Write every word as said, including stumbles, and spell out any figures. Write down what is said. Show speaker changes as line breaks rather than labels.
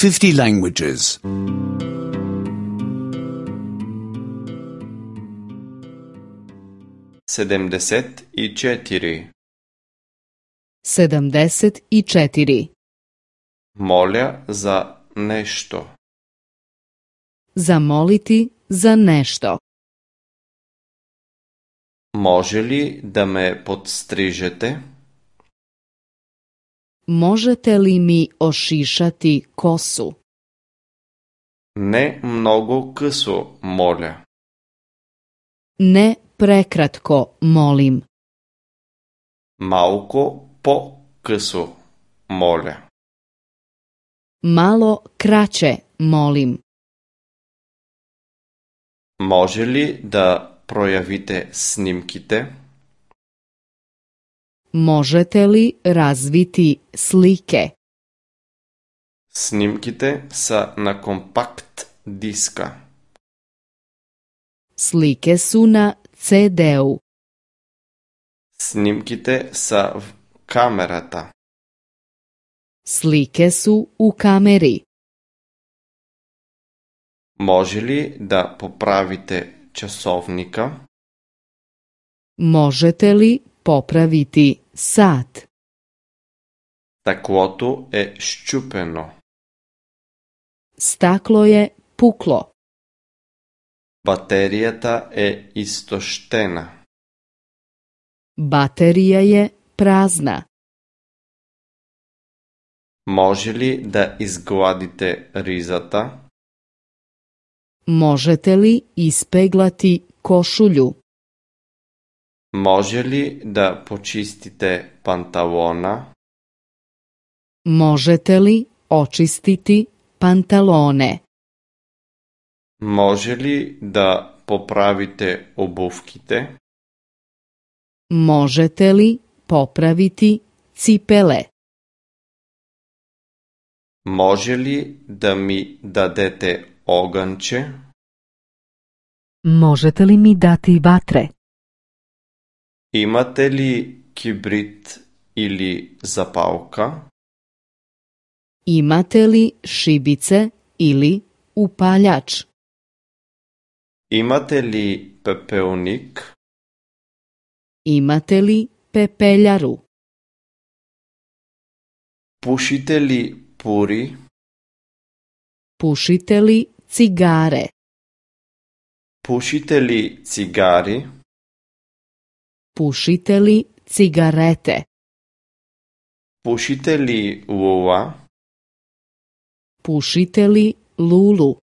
fifty languages.
Sedamdeset i četiri.
Sedamdeset i četiri.
Moля za nešto.
Zamoliti za nešto.
Može li da me podstrižete?
Možete li mi ošišati kosu?
Ne mnogo късо, моля.
Ne prekratko, molim.
Малко по-късо, моля.
Malo kraće, molim.
Може ли да проявите снимките?
Možete li razviti slike?
Снимките са на компакт диска.
Slike su na ce de-u.
Снимките са в камерата.
Slike su u kameri.
Може ли да поправите часовника?
Možete li popraviti sat?
Стъклото е счупено.
Staklo je puklo.
Батерията е изтощена.
Baterija je prazna.
Може ли да изгладите ризата?
Možete li ispeglati košulju?
Може ли да почистите панталона?
Možete li očistiti pantalone?
Може ли да поправите обувките?
Možete li popraviti cipele?
Може ли да ми дадете огънче?
Možete li mi dati vatre?
Имате ли кибрид или запалка?
Imate li šibice ili upaljač?
Имате ли пепелник?
Imate li pepeljaru?
Пушите ли пури?
Pušite li cigare?
Пушите ли цигари?
Pušite li cigarete?
Пушите ли лула?
Pušite li lulu?